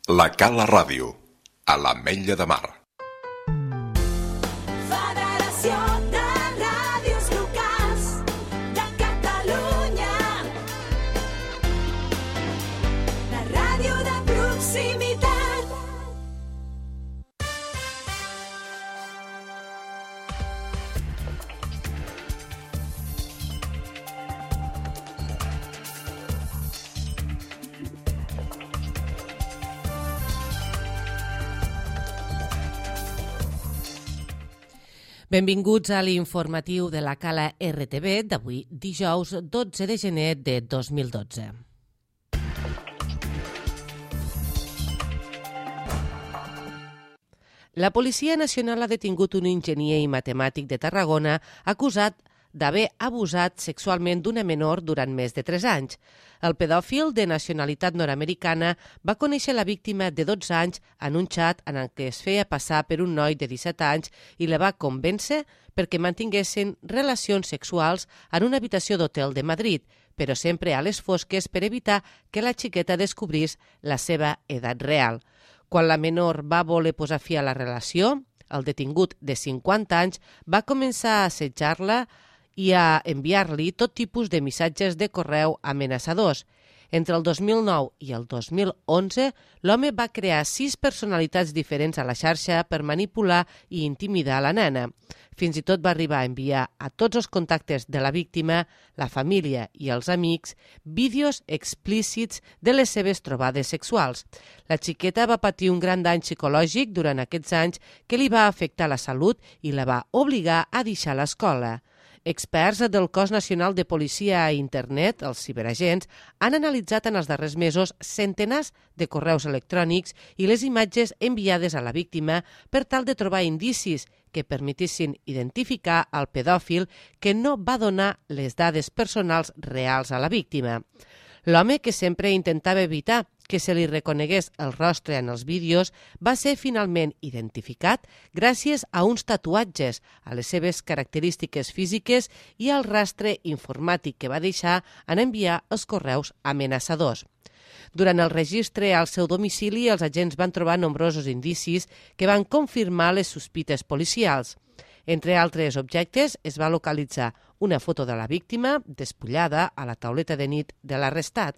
La Cala Ràdio, a l'Ametlla de Mar. Federació de Ràdios Locals de Catalunya. La ràdio de proximitat. Benvinguts a l'informatiu de la Cala RTV d'avui, dijous 12 de gener de 2012. La Policia Nacional ha detingut un enginyer i matemàtic de Tarragona acusat d'haver abusat sexualment d'una menor durant més de 3 anys. El pedòfil de nacionalitat nord-americana va conèixer la víctima de 12 anys en un xat en el que es feia passar per un noi de 17 anys i la va convèncer perquè mantinguessin relacions sexuals en una habitació d'hotel de Madrid, però sempre a les fosques per evitar que la xiqueta descobrís la seva edat real. Quan la menor va voler posar fi a la relació, el detingut de 50 anys va començar a assetjar-la i a enviar-li tot tipus de missatges de correu amenaçadors. Entre el 2009 i el 2011, l'home va crear 6 personalitats diferents a la xarxa per manipular i intimidar la nena. Fins i tot va arribar a enviar a tots els contactes de la víctima, la família i els amics, vídeos explícits de les seves trobades sexuals. La xiqueta va patir un gran dany psicològic durant aquests anys que li va afectar la salut i la va obligar a deixar l'escola. Experts del Cos Nacional de Policia a Internet, els ciberagents, han analitzat en els darrers mesos centenars de correus electrònics i les imatges enviades a la víctima per tal de trobar indicis que permetissin identificar el pedòfil que no va donar les dades personals reals a la víctima. L'home, que sempre intentava evitar que se li reconegués el rostre en els vídeos, va ser finalment identificat gràcies a uns tatuatges, a les seves característiques físiques i al rastre informàtic que va deixar en enviar els correus amenaçadors. Durant el registre al seu domicili, els agents van trobar nombrosos indicis que van confirmar les sospites policials. Entre altres objectes, es va localitzar una foto de la víctima despullada a la tauleta de nit de l'arrestat.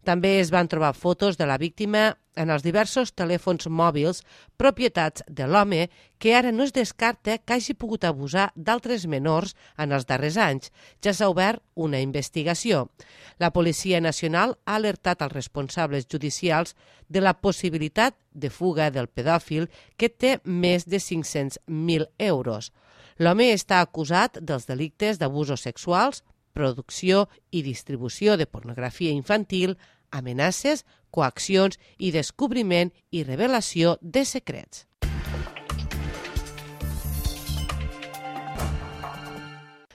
També es van trobar fotos de la víctima en els diversos telèfons mòbils propietats de l'home, que ara no es descarta que hagi pogut abusar d'altres menors en els darrers anys. Ja s'ha obert una investigació. La Policia Nacional ha alertat als responsables judicials de la possibilitat de fuga del pedòfil, que té més de 500.000 euros. L'home està acusat dels delictes d'abusos sexuals, producció i distribució de pornografia infantil, amenaces, coaccions i descobriment i revelació de secrets.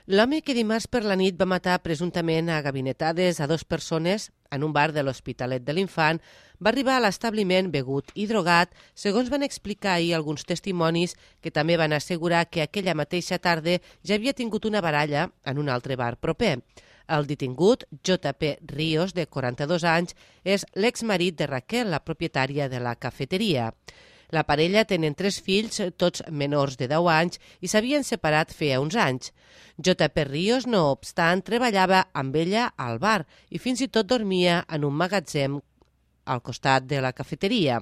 L'home que dimarts per la nit va matar presumptament a gabinetades a 2 persones en un bar de l'Hospitalet de l'Infant va arribar a l'establiment begut i drogat, segons van explicar ahir alguns testimonis que també van assegurar que aquella mateixa tarda ja havia tingut una baralla en un altre bar proper. El detingut, J.P. Ríos, de 42 anys, és l'exmarit de Raquel, la propietària de la cafeteria. La parella tenen 3 fills, tots menors de 10 anys, i s'havien separat feia uns anys. J.P. Ríos, no obstant, treballava amb ella al bar i fins i tot dormia en un magatzem al costat de la cafeteria.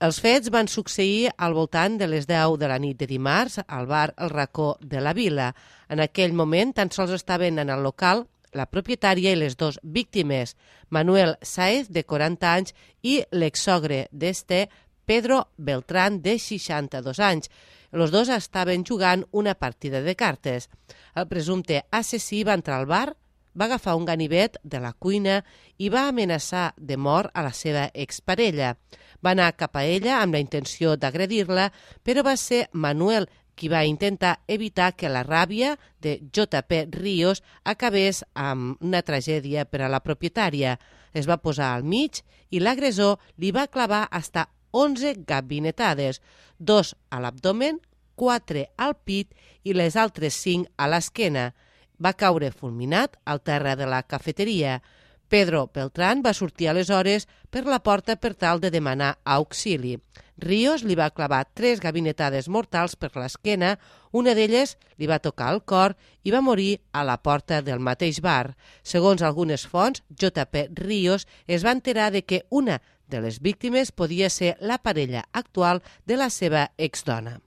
Els fets van succeir al voltant de les 10 de la nit de dimarts al bar El Racó de la Vila. En aquell moment tan sols estaven en el local la propietària i les 2 víctimes, Manuel Sáez, de 40 anys, i l'exsogre d'este, Pedro Beltrán, de 62 anys. Els 2 estaven jugant una partida de cartes. El presumpte assassí va entrar al bar, va agafar un ganivet de la cuina i va amenaçar de mort a la seva exparella. Va anar cap a ella amb la intenció d'agredir-la, però va ser Manuel qui va intentar evitar que la ràbia de J.P. Ríos acabés amb una tragèdia per a la propietària. Es va posar al mig i l'agressor li va clavar fins a 11 gabinetades, 2 a l'abdomen, 4 al pit i les altres 5 a l'esquena. Va caure fulminat al terra de la cafeteria. Pedro Beltrán va sortir aleshores per la porta per tal de demanar auxili. Ríos li va clavar 3 gabinetades mortals per l'esquena, una d'elles li va tocar el cor i va morir a la porta del mateix bar. Segons algunes fonts, J.P. Ríos es va enterar de que una de les víctimes podia ser la parella actual de la seva exdona.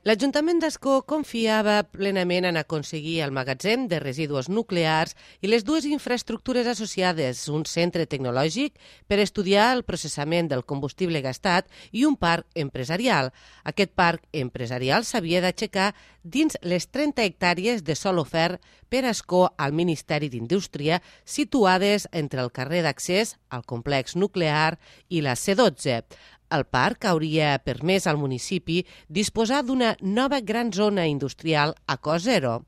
L'Ajuntament d'Ascó confiava plenament en aconseguir el magatzem de residus nuclears i les 2 infraestructures associades, un centre tecnològic per estudiar el processament del combustible gastat i un parc empresarial. Aquest parc empresarial s'havia d'aixecar dins les 30 hectàrees de sòl ofert per Ascó al Ministeri d'Indústria, situades entre el carrer d'accés al complex nuclear i la C12. El parc hauria permès al municipi disposar d'una nova gran zona industrial a cost zero.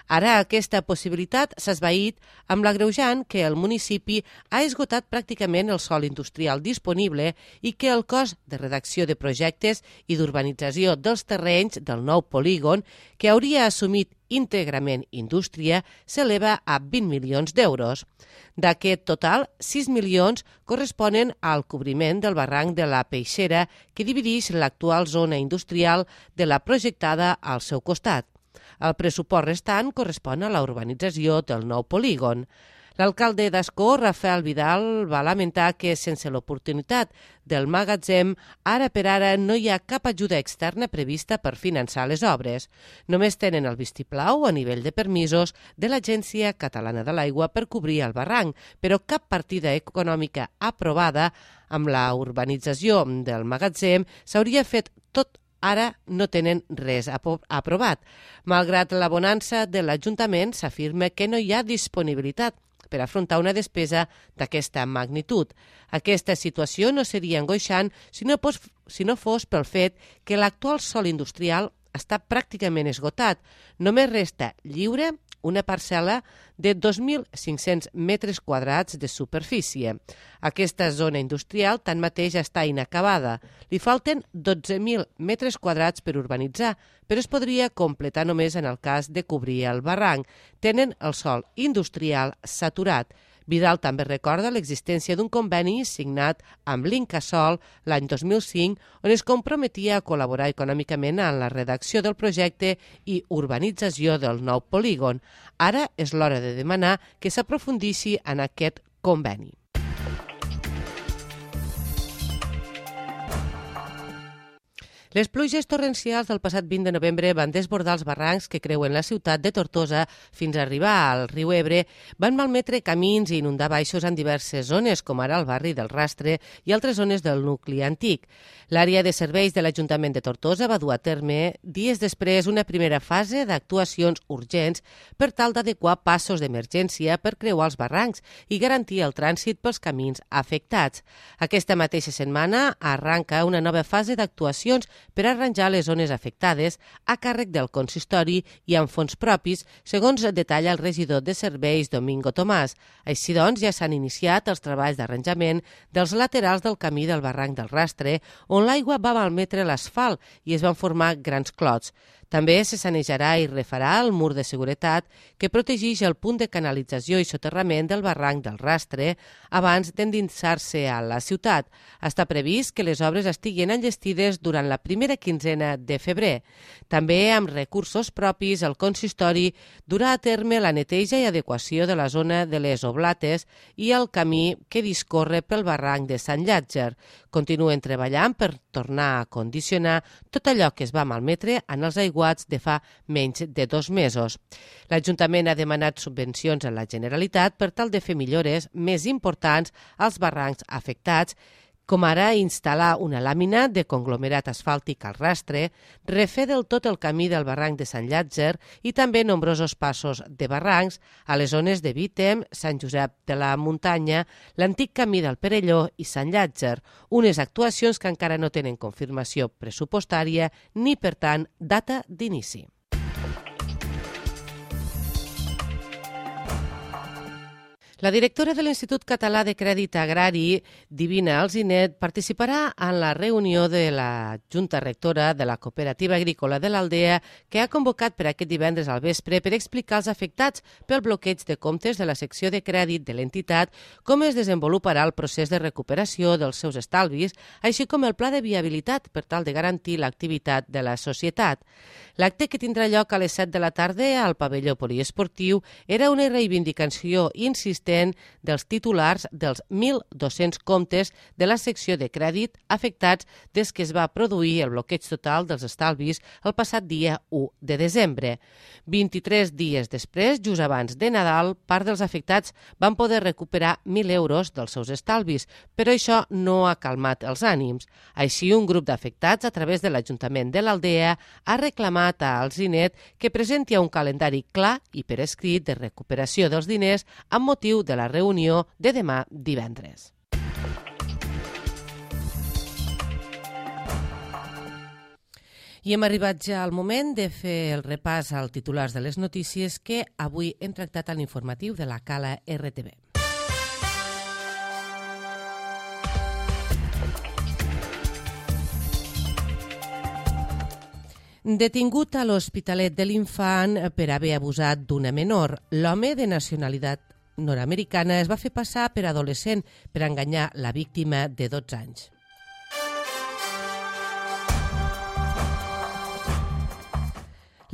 Ara aquesta possibilitat s'ha esvaït amb l'agreujant que el municipi ha esgotat pràcticament el sòl industrial disponible i que el cost de redacció de projectes i d'urbanització dels terrenys del nou polígon, que hauria assumit íntegrament indústria, s'eleva a 20 milions d'euros. D'aquest total, 6 milions corresponen al cobriment del barranc de la Peixera, que divideix l'actual zona industrial de la projectada al seu costat. El pressupost restant correspon a la urbanització del nou polígon. L'alcalde d'Ascó, Rafael Vidal, va lamentar que sense l'oportunitat del magatzem, ara per ara no hi ha cap ajuda externa prevista per finançar les obres. Només tenen el vistiplau a nivell de permisos de l'Agència Catalana de l'Aigua per cobrir el barranc, però cap partida econòmica aprovada amb la urbanització del magatzem s'hauria fet tot. Ara no tenen res aprovat. Malgrat la bonança de l'Ajuntament, s'afirma que no hi ha disponibilitat per afrontar una despesa d'aquesta magnitud. Aquesta situació no seria angoixant si no fos pel fet que l'actual sòl industrial està pràcticament esgotat. Només resta lliure una parcel·la de 2.500 metres quadrats de superfície. Aquesta zona industrial tanmateix està inacabada. Li falten 12.000 metres quadrats per urbanitzar, però es podria completar només en el cas de cobrir el barranc. Tenen el sòl industrial saturat. Vidal també recorda l'existència d'un conveni signat amb l'Incasòl l'any 2005, on es comprometia a col·laborar econòmicament en la redacció del projecte i urbanització del nou polígon. Ara és l'hora de demanar que s'aprofundissi en aquest conveni. Les pluges torrencials del passat 20 de novembre van desbordar els barrancs que creuen la ciutat de Tortosa fins a arribar al riu Ebre, van malmetre camins i inundar baixos en diverses zones, com ara el barri del Rastre i altres zones del nucli antic. L'àrea de serveis de l'Ajuntament de Tortosa va dur a terme dies després una primera fase d'actuacions urgents per tal d'adequar passos d'emergència per creuar els barrancs i garantir el trànsit pels camins afectats. Aquesta mateixa setmana arranca una nova fase d'actuacions per arranjar les zones afectades a càrrec del consistori i amb fons propis, segons detalla el regidor de serveis Domingo Tomàs. Així doncs, ja s'han iniciat els treballs d'arranjament dels laterals del camí del barranc del Rastre, on l'aigua va malmetre l'asfalt i es van formar grans clots. També se sanejarà i refarà el mur de seguretat que protegeix el punt de canalització i soterrament del barranc del Rastre abans d'endinsar-se a la ciutat. Està previst que les obres estiguin enllestides durant la primera quinzena de febrer. També amb recursos propis, el consistori durà a terme la neteja i adequació de la zona de les Oblates i el camí que discorre pel barranc de Sant Llàtzer. Continuen treballant per tornar a condicionar tot allò que es va malmetre en els aiguats de fa menys de 2 mesos. L'Ajuntament ha demanat subvencions a la Generalitat per tal de fer millores més importants als barrancs afectats, com ara instal·lar una làmina de conglomerat asfàltic al Rastre, refer del tot el camí del barranc de Sant Llàtzer i també nombrosos passos de barrancs a les zones de Vítem, Sant Josep de la Muntanya, l'antic camí del Perelló i Sant Llàtzer, unes actuacions que encara no tenen confirmació pressupostària ni, per tant, data d'inici. La directora de l'Institut Català de Crèdit Agrari, Divina Alzinet, participarà en la reunió de la Junta Rectora de la Cooperativa Agrícola de l'Aldea que ha convocat per aquest divendres al vespre per explicar als afectats pel bloqueig de comptes de la secció de crèdit de l'entitat com es desenvoluparà el procés de recuperació dels seus estalvis, així com el pla de viabilitat per tal de garantir l'activitat de la societat. L'acte, que tindrà lloc a les 7 de la tarda al pavelló poliesportiu, era una reivindicació insistent dels titulars dels 1.200 comptes de la secció de crèdit afectats des que es va produir el bloqueig total dels estalvis el passat dia 1 de desembre. 23 dies després, just abans de Nadal, part dels afectats van poder recuperar 1.000 euros dels seus estalvis, però això no ha calmat els ànims. Així, un grup d'afectats, a través de l'Ajuntament de l'Aldea, ha reclamat a Alzinet que presenti un calendari clar i per escrit de recuperació dels diners amb motiu de la reunió de demà divendres. I hem arribat ja al moment de fer el repàs als titulars de les notícies que avui hem tractat a l'informatiu de la Cala RTV. Detingut a l'Hospitalet de l'Infant per haver abusat d'una menor, l'home de nacionalitat nord-americana es va fer passar per adolescent per enganyar la víctima de 12 anys.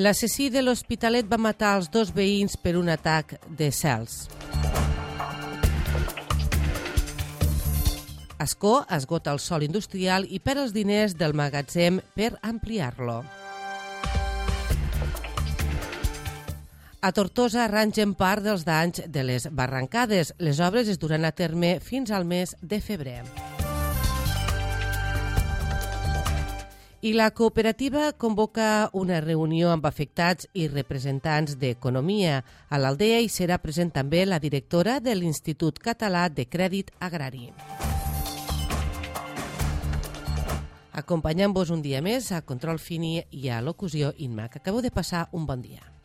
L'assassí de l'Hospitalet va matar els 2 veïns per un atac de cels. Ascó esgota el sòl industrial i perd els diners del magatzem per ampliar-lo. A Tortosa arrangen part dels danys de les barrancades. Les obres es duran a terme fins al mes de febrer. I la cooperativa convoca una reunió amb afectats i representants d'Economia. A l'Aldea hi serà present també la directora de l'Institut Català de Crèdit Agrari. Acompanyant-vos un dia més a Control Fini i a Locució Inma, que acabeu de passar un bon dia.